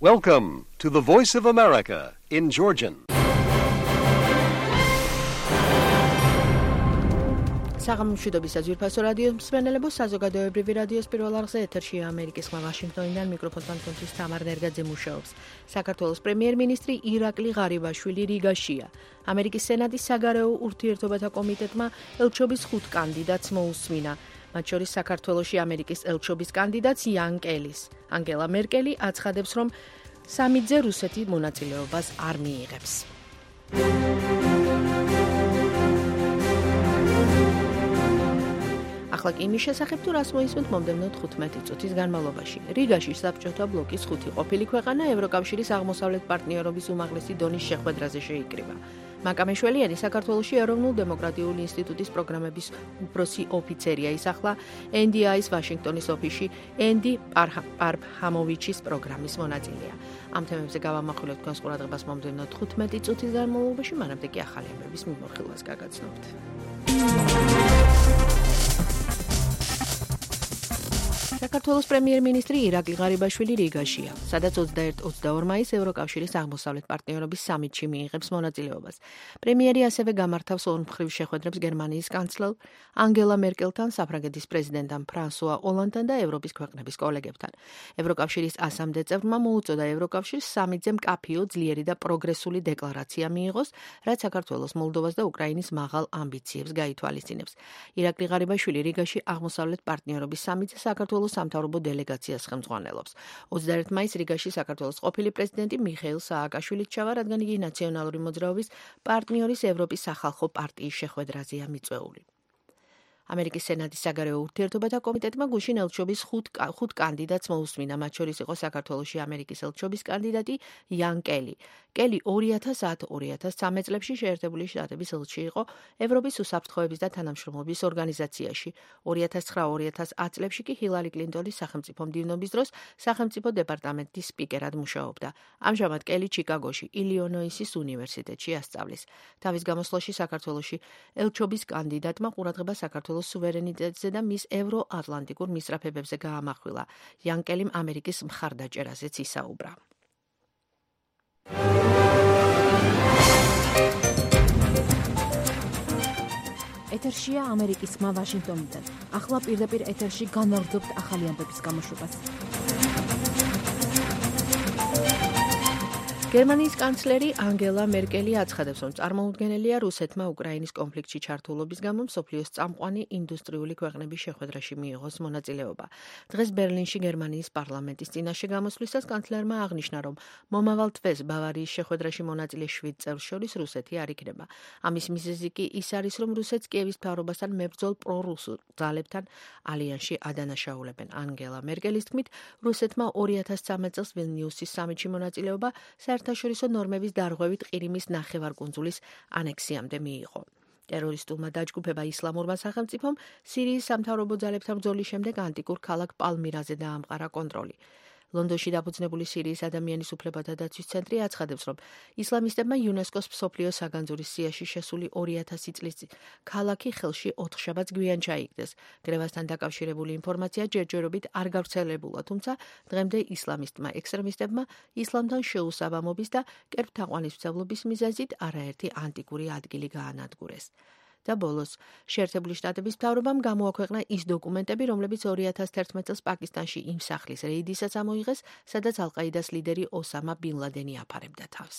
Welcome to the Voice of America in Georgian. საღამომშვიდობის საძირფასო რადიოს მსმენელებო, საზოგადოებრივი რადიოს პირველ არხზე ეთერშია ამერიკის ხმა ვაშინგტონიდან მიკროფონთან თქვენთვის თამარ ნერგაძე მუშაობს. საქართველოს პრემიერ-მინისტრი ირაკლი ღარიბაშვილი რიგაშია. ამერიკის სენატის საგარეო ურთიერთობათა კომიტეტმა ელჩობის 5 კანდიდატს მოუსმინა. მათ შორის საქართველოში ამერიკის ელჩობის კანდიდატს იან კელის. ანგელა მერკელი აცხადებს, რომ სამიტზე რუსეთი მონაწილეობას არ მიიღებს. ახლა კი იმის შესახებ, თუ რას მოისმენთ მომდევნო 15 წუთის განმავლობაში. რიგაში საბჭოთა ბლოკის 5 ყოფილი ქვეყანა ევროკავშირის აღმოსავლეთ პარტნიორობის უმაღლესი დონის შეხვედრაზე შეიკრიბა. მაკა მეშველიანი საქართველოში ეროვნულ დემოკრატიული ინსტიტუტის პროგრამების უფროსი ოფიცერია, ის ახლა NDI-ის ვაშინგტონის ოფისში ენდი პარფჰამოვიჩის პროგრამის მონაწილეა. ამ თემებზე გავამახვილებთ თქვენს ყურადღებას მომდევნო 15 წუთის განმავლობაში, მანამდე კი ახალი ამბების მიმოხილვას გაგაცნობთ. საქართველოს პრემიერ-მინისტრი ირაკლი ღარიბაშვილი რიგაშია, სადაც 21-22 მაისს ევროკავშირის აღმოსავლეთ პარტნიორობის სამიტში მიიღებს მონაწილეობას. პრემიერი ასევე გამართავს ორმხრივ შეხვედრებს გერმანიის კანცლერ ანგელა მერკელთან, საფრანგეთის პრეზიდენტთან ფრანსუა ოლანდთან და ევროპის ქვეყნების კოლეგებთან. ევროკავშირის 100-მდე წევრმა მოუწოდა ევროკავშირს სამიტზე მკაფიო, ძლიერი და პროგრესული დეკლარაცია მიიღოს, რაც საქართველოს, მოლდოვას და უკრაინის მაღალ ამბიციებს გაითვალისწინებს. ირაკლი ღარიბაშვილი რიგაში აღმოსავლეთ პარტნიორობის სამიტზე საქართველოს სამთავრობო დელეგაციას ხელმძღვანელობს. 21 მაისს რიგაში საქართველოს ყოფილი პრეზიდენტი მიხეილ სააკაშვილი ჩავა, რადგან იგი ნაციონალური მოძრაობის პარტნიორის ევროპის სახალხო პარტიის შეხვედრაზეა მიწვეული. ამერიკის სენატის საგარეო ურთიერთობათა კომიტეტმა გუშინ ელჩობის 5 კანდიდატს მოუსმინა, მათ შორის იყო საქართველოში ამერიკის ელჩობის კანდიდატი იან კელი. კელი 2010-2013 წლებში შეერთებული შტატების ელჩი იყო ევროპის უსაფრთხოების და თანამშრომლობის ორგანიზაციაში. 2009-2010 წლებში კი ჰილარი კლინტონის სახელმწიფო მდივნობის დროს სახელმწიფო დეპარტამენტის სპიკერად მუშაობდა. ამჟამად კელი ჩიკაგოში, ილინოისის უნივერსიტეტში ასწავლის. თავის გამოსვლაში საქართველოში ელჩობის კანდიდატმა ყურადღება საქართველოს სუვერენიტეტზე და მის ევროატლანტიკურ მისწრაფებებზე გაამახვილა. იან კელიმ ამერიკის მხარდაჭერაზეც ისაუბრა. ეთერშია ამერიკის ხმა ვაშინგტონიდან. ახლა პირდაპირ ეთერში განვაგრძობთ ახალი ამბების გამოშვებას. გერმანიის კანცლერი ანგელა მერკელი აცხადებს, რომ წარმოუდგენელია რუსეთმა უკრაინის კონფლიქტში ჩართულობის გამო მსოფლიოს წამყვანი ინდუსტრიული ქვეყნების შეხვედრაში მიიღოს მონაწილეობა. დღეს ბერლინში გერმანიის პარლამენტის წინაშე გამოსვლისას კანცლერმა აღნიშნა, რომ მომავალ თვეს ბავარიის შეხვედრაში მონაწილე 7 წევრს შორის რუსეთი არ იქნება. ამის მიზეზი კი ის არის, რომ რუსეთს კიევის მთავრობასთან მებრძოლ პრორუსულ ძალებთან ალიანსში ადანაშაულებენ. ანგელა მერკელის თქმით, რუსეთმა 2013 წელს ვილნიუსის სამიტში მონაწილეობა საერთაშორისო ნორმების დარღვევით ყირიმის ნახევარკუნძულის ანექსიამდე მიიღო. ტერორისტულმა დაჯგუფება ისლამურმა სახელმწიფომ სირიის სამთავრობო ძალებთან ბრძოლის შემდეგ ანტიკურ ქალაქ პალმირაზე დაამყარა კონტროლი. ლონდონში დაფუძნებული სირიის ადამიანის უფლებათა დაცვის ცენტრი აცხადებს, რომ ისლამისტებმა იუნესკოს მსოფლიო საგანძურის სიაში შესული 2000 წლის ქალაქი ხელში 4 შაბათს გვიან ჩაიგდეს. გრევასთან დაკავშირებული ინფორმაცია ჯერჯერობით არ გავრცელებულა, თუმცა დღემდე ისლამისტმა ექსტრემისტებმა ისლამთან შეუსაბამობის და კერპთაყვანისმცემლობის მიზეზით არაერთი ანტიკური ადგილი გაანადგურეს. და ბოლოს, შეერთებული შტატების მთავრობამ გამოაქვეყნა ის დოკუმენტები, რომლებიც 2011 წელს პაკისტანში იმ სახლის რეიდისაც ამოიღეს, სადაც ალ-ყაიდას ლიდერი ოსამა ბინ ლადენი აფარებდა თავს.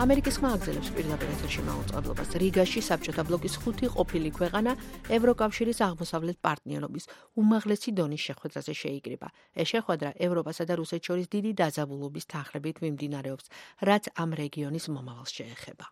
ამერიკის ხმა აგრძელებს პირდაპირ ეთერში მაუწყებლობას. რიგაში საბჭოთა ბლოკის 5 ყოფილი ქვეყანა ევროკავშირის აღმოსავლეთ პარტნიორობის უმაღლესი დონის შეხვედრაზე შეიკრიბა. ეს შეხვედრა ევროპასა და რუსეთს შორის დიდი დაძაბულობის თანხლებით მიმდინარეობს, რაც ამ რეგიონის მომავალს შეეხება.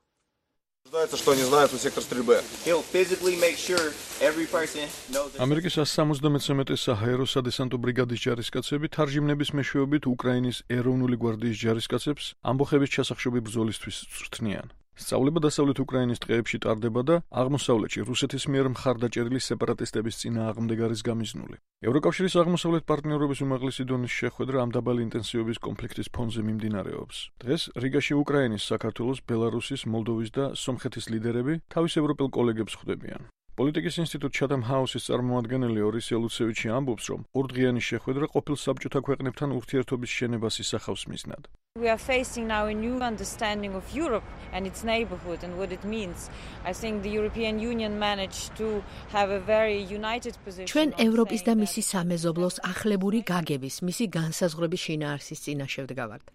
ამერიკის 173 საჰაერო სადესანტო ბრიგადის ჯარისკაცები თარჟიმნების მეშვეობით უკრაინის ეროვნული გვარდიის ჯარისკაცებს ამბოხების ჩასახშობი ბრძოლისთვის წვრთნიან. სწავლება დასავლეთ უკრაინის ტყეებში ტარდება და აღმოსავლეთში რუსეთის მიერ მხარდაჭერილი სეპარატისტების წინააღმდეგ არის გამიზნული. ევროკავშირის აღმოსავლეთ პარტნიორობის უმაღლესი დონის შეხვედრა ამ დაბალი ინტენსივობის კონფლიქტის ფონზე მიმდინარეობს. დღეს რიგაში უკრაინის, საქართველოს, ბელარუსის, მოლდოვის და სომხეთის ლიდერები თავის ევროპელ კოლეგებს ხვდებიან. პოლიტიკის ინსტიტუტ Chatham House-ის წარმომადგენელი ორისი ლუცევიჩი ამბობს, რომ ორდღიანი შეხვედრა ყოფილ საბჭოთა ქვეყნებთან ურთიერთობის შენებას ისახავს მიზნად. We are facing now a new understanding of Europe and its neighborhood and what it means. I think the European Union managed to have a very united position. ჩვენ ევროპის და მისი სამეზობლოს ახლებური გაგების, მისი განსაზღვრების შინაარსის წინაშე ვდგავართ.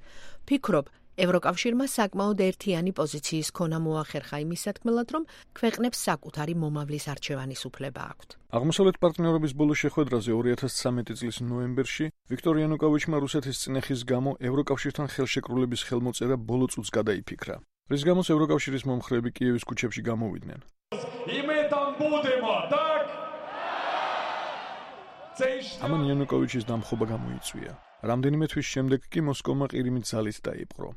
ფიქრობ, ევროკავშირმა საკმაოდ ერთიანი პოზიციის ქონა მოახერხა იმის სათქმელად, რომ ქვეყნებს საკუთარი მომავლის არჩევანის უფლება აქვთ. აღმოსავლეთ პარტნიორობის ბოლო შეხვედრაზე 2013 წლის ნოემბერში ვიქტორ იანუკოვიჩმა რუსეთის წინეხის გამო ევროკავშირთან ხელშეკრულების ხელმოწერა ბოლო წუთს გადაიფიქრა. რის გამოც ევროკავშირის მომხრეები კიევის ქუჩებში გამოვიდნენ. ამან იანუკოვიჩის დამხობა გამოიწვია. რამდენიმე თვის შემდეგ კი მოსკოვმა ყირიმით ძალით დაიპყრო.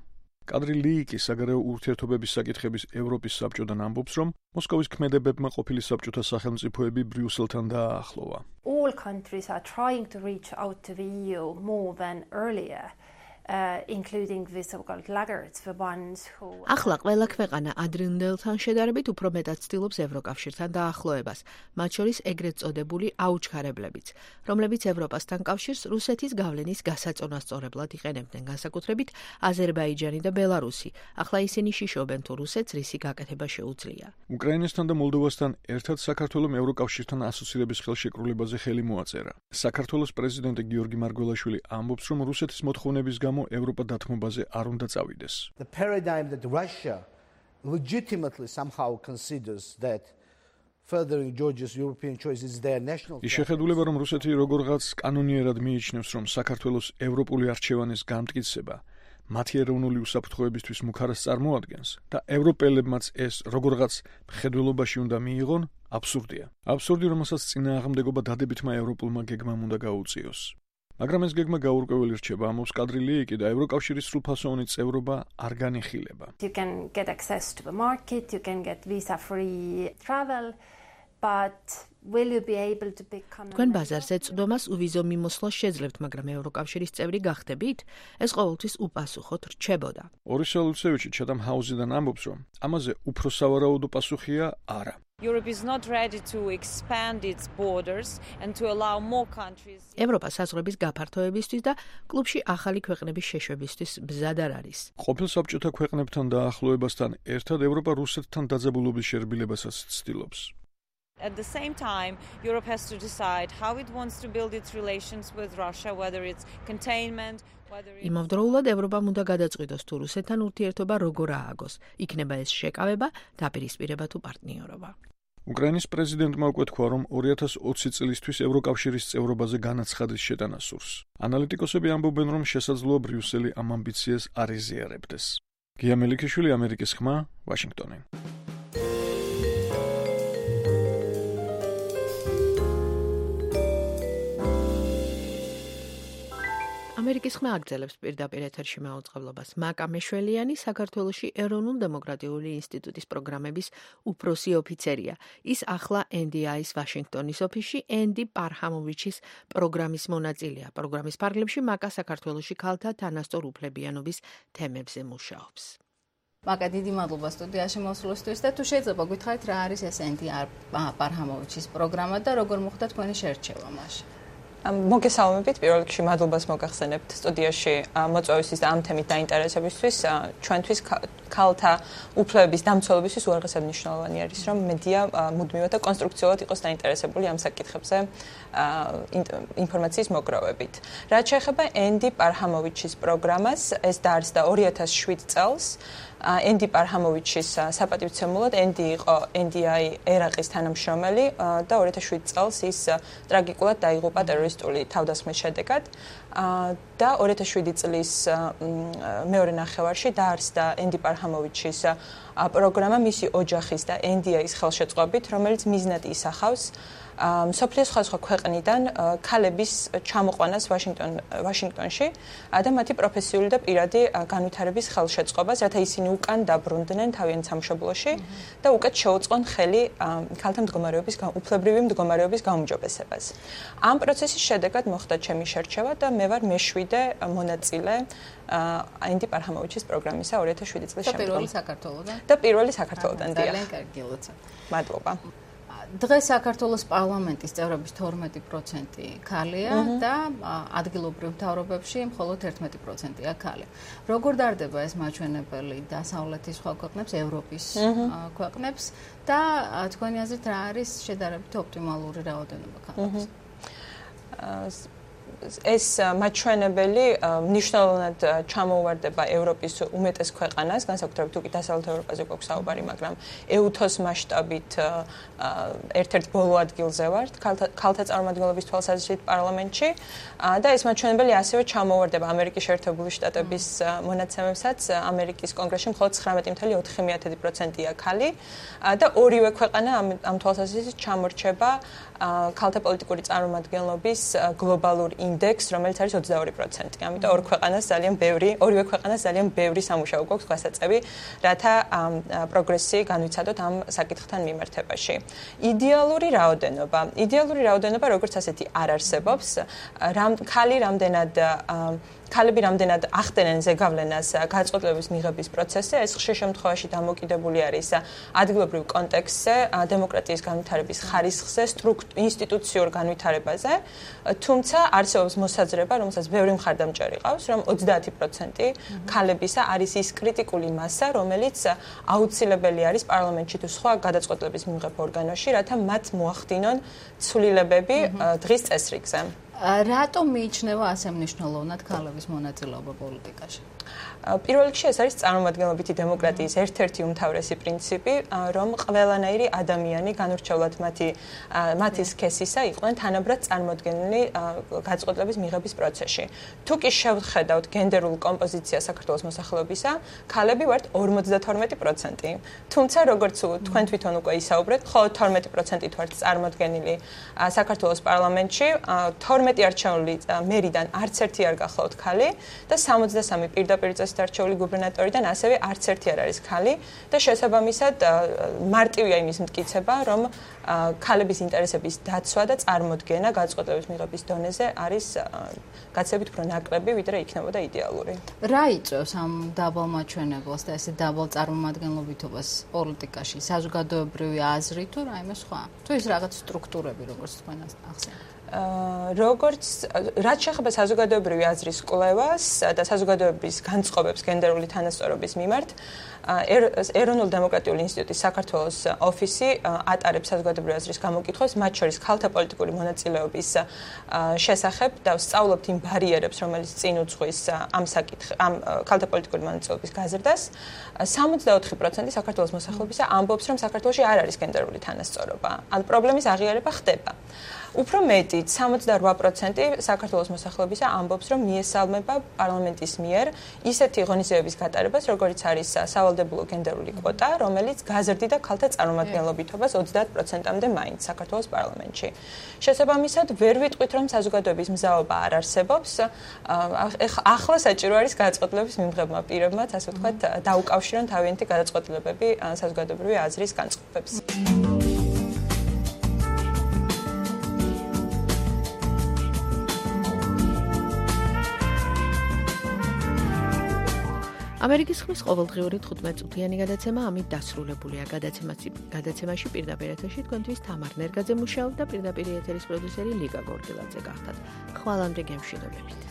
კადრი ლიიკი საგარეო ურთიერთობების საკითხების ევროპის საბჭოდან ამბობს, რომ მოსკოვის ქმედებებმა ყოფილი საბჭოთა სახელმწიფოები ბრიუსელთან დააახლოვა. All countries are trying to reach out to the EU more than earlier. Including the so-called laggards, the ones who... ახლა ყველა ქვეყანა ადრინდელთან შედარებით უფრო მეტად ცდილობს ევროკავშირთან დაახლოებას, მათ შორის ეგრეთ წოდებული აუჩქარებლებიც, რომლებიც ევროპასთან კავშირს რუსეთის გავლენის გასაწონასწორებლად იყენებდნენ, განსაკუთრებით აზერბაიჯანი და ბელარუსი. ახლა ისინი შიშობენ თუ რუსეთს რისი გაკეთება შეუძლია. უკრაინასთან და მოლდოვასთან ერთად საქართველომ ევროკავშირთან ასოცირების ხელშეკრულებაზე ხელი მოაწერა. საქართველოს პრეზიდენტი გიორგი მარგველაშვილი ამბობს, რომ რუსეთის მოთხოვნების გამო ევროპა დათმობაზე არ უნდა წავიდეს. The paradigm that Russia legitimately somehow considers that furthering Georgia's European choice is their national. ის შეხედულება, რომ რუსეთი როგორღაც კანონიერად მიიჩნევს, რომ საქართველოს ევროპული არჩევანის გამტკიცება მათი ეროვნული უსაფრთხოებისთვის მუქარას წარმოადგენს და ევროპელებმაც ეს როგორღაც მხედველობაში უნდა მიიღონ, აბსურდია. აბსურდი, რომელსაც წინააღმდეგობა დადებითმა ევროპულმა გეგმამ უნდა გაუწიოს. მაგრამ ეს გეგმა გაურკვეველი რჩება, ამბობს კადრი ლიიკი და ევროკავშირის სრულფასოვანი წევრობა არ განიხილება. You can get access to the market, you can get visa-free travel, but will you be able to become... თქვენ ბაზარზე წვდომას უვიზო მიმოსვლა შეძლებთ, მაგრამ ევროკავშირის წევრი გახდებით? ეს ყოველთვის უპასუხოდ რჩებოდა. ორისი ლუცევიჩი Chatham House-დან ამბობს, რომ ამაზე უფრო სავარაუდო პასუხია არა. Europe is not ready to expand its borders and to allow more countries. ევროპა საზღვრების გაფართოებისთვის და კლუბში ახალი ქვეყნების შეშვებისთვის მზად არ არის. ყოფილ საბჭოთა ქვეყნებთან დაახლოებასთან ერთად ევროპა რუსეთთან დაძაბულობის შერბილებასაც ცდილობს. At the same time, Europe has to decide how it wants to build its relations with Russia, whether it's containment, whether it's... იმავდროულად ევროპამ უნდა გადაწყვიტოს თუ რუსეთთან ურთიერთობა როგორ ააგოს. იქნება ეს შეკავება, დაპირისპირება თუ პარტნიორობა. უკრაინის პრეზიდენტმა უკვე თქვა, რომ 2020 წლისთვის ევროკავშირის წევრობაზე განაცხადის შეტანა სურს. ანალიტიკოსები ამბობენ, რომ შესაძლოა ბრიუსელი ამ ამბიციას არ ეზიარებდეს. გია მელიქიშვილი, ამერიკის ხმა, ვაშინგტონი. ამერიკის ხმა აგრძელებს პირდაპირ ეთერში მაუწყებლობას. მაკა მეშველიანი საქართველოში ეროვნულ-დემოკრატიული ინსტიტუტის პროგრამების უფროსი ოფიცერია. ის ახლა NDI-ის ვაშინგტონის ოფისში ენდი პარჰამოვიჩის პროგრამის მონაწილეა. პროგრამის ფარგლებში მაკა საქართველოში ქალთა თანასწორ უფლებიანობის თემებზე მუშაობს. მაკა, დიდი მადლობა სტუდიაში მოსვლისთვის და თუ შეიძლება გითხრათ რა არის ეს ენდი პარჰამოვიჩის პროგრამა და როგორ მოხდა თქვენი შერჩევა მასში? მოგესალმებით, პირველ რიგში მადლობას მოგახსენებთ სტუდიაში მოწვევისთვის და ამ თემით დაინტერესებისთვის. ჩვენთვის ქალთა უფლებების დამცველობისთვის უაღრესად მნიშვნელოვანი არის, რომ მედია მუდმივად და კონსტრუქციულად იყოს დაინტერესებული ამ საკითხებზე ინფორმაციის მოგროვებით. რაც შეეხება ენდი პარჰამოვიჩის პროგრამას, ეს დაარსდა 2007 წელს. ენდი პარჰამოვიჩის საპატივცემულოდ ენდი იყო NDI ერაყის თანამშრომელი და 2007 წელს ის ტრაგიკულად დაიღუპა ტერორისტული თავდასხმის შედეგად და 2007 წლის მეორე ნახევარში დაარსდა ენდი პარჰამოვიჩის პროგრამა მისი ოჯახის და NDI-ის ხელშეწყობით, რომელიც მიზნად ისახავს მსოფლიოს სხვადასხვა ქვეყნიდან ქალების ჩამოყვანას ვაშინგტონში და მათი პროფესიული და პირადი განვითარების ხელშეწყობას, რათა ისინი უკან დაბრუნდნენ თავიანთ სამშობლოში და უკეთ შეუწყონ ხელი ქალთა მდგომარეობის უფლებრივი მდგომარეობის გაუმჯობესებას. ამ პროცესის შედეგად მოხდა ჩემი შერჩევა და მე ვარ მეშვიდე მონაწილე ენდი პარჰამოვიჩის პროგრამისა 2007 წლის შემდგომ. და პირველი საქართველოდან? და პირველი საქართველოდან, დიახ. ძალიან კარგი, ლოცვა. მადლობა. დღეს საქართველოს პარლამენტის წევრების 12% ქალია და ადგილობრივ მთავრობებში მხოლოდ 11%-ია ქალი. როგორ დარდება ეს მაჩვენებელი დასავლეთის სხვა ქვეყნებს, ევროპის ქვეყნებს და თქვენი აზრით რა არის შედარებით ოპტიმალური რაოდენობა ქალების? ეს მაჩვენებელი მნიშვნელოვნად ჩამოუვარდება ევროპის უმეტეს ქვეყანას, განსაკუთრებით თუ კი დასავლეთ ევროპაზე გვაქვს საუბარი, მაგრამ EUTHOS მასშტაბით ერთ-ერთ ბოლო ადგილზე ვართ ქალთა წარმომადგენლობის თვალსაზრისით პარლამენტში და ეს მაჩვენებელი ასევე ჩამოუვარდება ამერიკის შეერთებული შტატების მონაცემებსაც. ამერიკის კონგრესში მხოლოდ 19.4%-ია ქალი და ორივე ქვეყანა ამ თვალსაზრისით ჩამორჩება ქალთა პოლიტიკური წარმომადგენლობის გლობალურ ინდექს, რომელიც არის 22%. ამიტომ ორივე ქვეყანას ძალიან ბევრი სამუშაო გვაქვს გვასაწევი, რათა პროგრესი განვიცადოთ ამ საკითხთან მიმართებაში. იდეალური რაოდენობა როგორც ასეთი არ არსებობს. ქალები რამდენად ახდენენ ზეგავლენას გადაწყვეტილების მიღების პროცესზე, ეს ხშირ შემთხვევაში დამოკიდებული არის ადგილობრივ კონტექსტზე, დემოკრატიის განვითარების ხარისხზე, ინსტიტუციურ განვითარებაზე, თუმცა არსებობს მოსაზრება, რომელსაც ბევრი მხარდამჭერი ყავს, რომ 30% ქალებისა არის ის კრიტიკული მასა, რომელიც აუცილებელი არის პარლამენტში თუ სხვა გადაწყვეტილების მიღებ ორგანოში, რათა მათ მოახდინონ ცვლილებები დღის წესრიგზე. რატომ მიიჩნევა ასე მნიშვნელოვნად ქალების მონაწილეობა პოლიტიკაში? პირველ რიგში ეს არის წარმომადგენლობითი დემოკრატიის ერთ-ერთი უმთავრესი პრინციპი, რომ ყველანაირი ადამიანი განურჩევლად მათი სქესისა იყვნენ თანაბრად წარმოდგენილი გადაწყვეტილების მიღების პროცესში. თუ კი შევხედავთ გენდერულ კომპოზიციას საქართველოს მოსახლეობისა, ქალები ვართ 52%. თუმცა როგორც თქვენ თვითონ უკვე ისაუბრეთ, მხოლოდ 12% ვართ წარმოდგენილი საქართველოს პარლამენტში, 12 არჩეული მერიდან არც ერთი არ გახლავთ ქალი და 63 პირდაპირ წესით არჩეული გუბერნატორიდან ასევე არც ერთი არ არის ქალი და შესაბამისად მარტივია იმის მტკიცება, რომ ქალების ინტერესების დაცვა და წარმოდგენა გადაწყვეტილების მიღების დონეზე არის გაცილებით უფრო ნაკლები, ვიდრე იქნებოდა იდეალური. რა იწვევს ამ დაბალ მაჩვენებელს და ესე დაბალ წარმომადგენლობითობას პოლიტიკაში? საზოგადოებრივი აზრი თუ რაიმე სხვა? თუ ის რაღაც სტრუქტურები, როგორც თქვენ ახსენეთ? რაც შეეხება საზოგადოებრივი აზრის კვლევას და საზოგადოების განწყობებს გენდერული თანასწორობის მიმართ, ეროვნულ დემოკრატიული ინსტიტუტის საქართველოს ოფისი ატარებს საზოგადოებრივი აზრის გამოკითხვას, მათ შორის ქალთა პოლიტიკური მონაწილეობის შესახებ და სწავლობთ იმ ბარიერებს, რომელიც წინ უძღვის ამ ქალთა პოლიტიკური მონაწილეობის გაზრდას. 64% საქართველოს მოსახლეობისა ამბობს, რომ საქართველოში არ არის გენდერული თანასწორობა. ან პრობლემის აღიარება ხდება. უფრო მეტიც, 68% საქართველოს მოსახლეობისა ამბობს, რომ მიესალმება პარლამენტის მიერ ისეთი ღონისძიებების გატარებას, როგორც არის სავალდებულო გენდერული კვოტა, რომელიც გაზრდიდა ქალთა წარმომადგენლობითობას 30%-მდე მაინც საქართველოს პარლამენტში. შესაბამისად, ვერ ვიტყვით, რომ საზოგადოების მზაობა არ არსებობს. ახლა საჭირო არის გადაწყვეტილების მიმღებმა პირებმაც, ასე ვთქვათ, დაუკავშირონ თავიანთი გადაწყვეტილებები საზოგადოებრივი აზრის განწყობებს. ამერიკის ხმის ყოველდღიური 15-წუთიანი გადაცემა ამით დასრულებულია. გადაცემაში პირდაპირ ეთერში თქვენთვის თამარ ნერგაძე მუშაობდა და პირდაპირ ეთერის პროდიუსერი ლიგა გორგილაძე გახდათ. ხვალამდე გემშვიდობებით.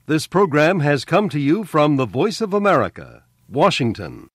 This program has come to you from the Voice of America, Washington.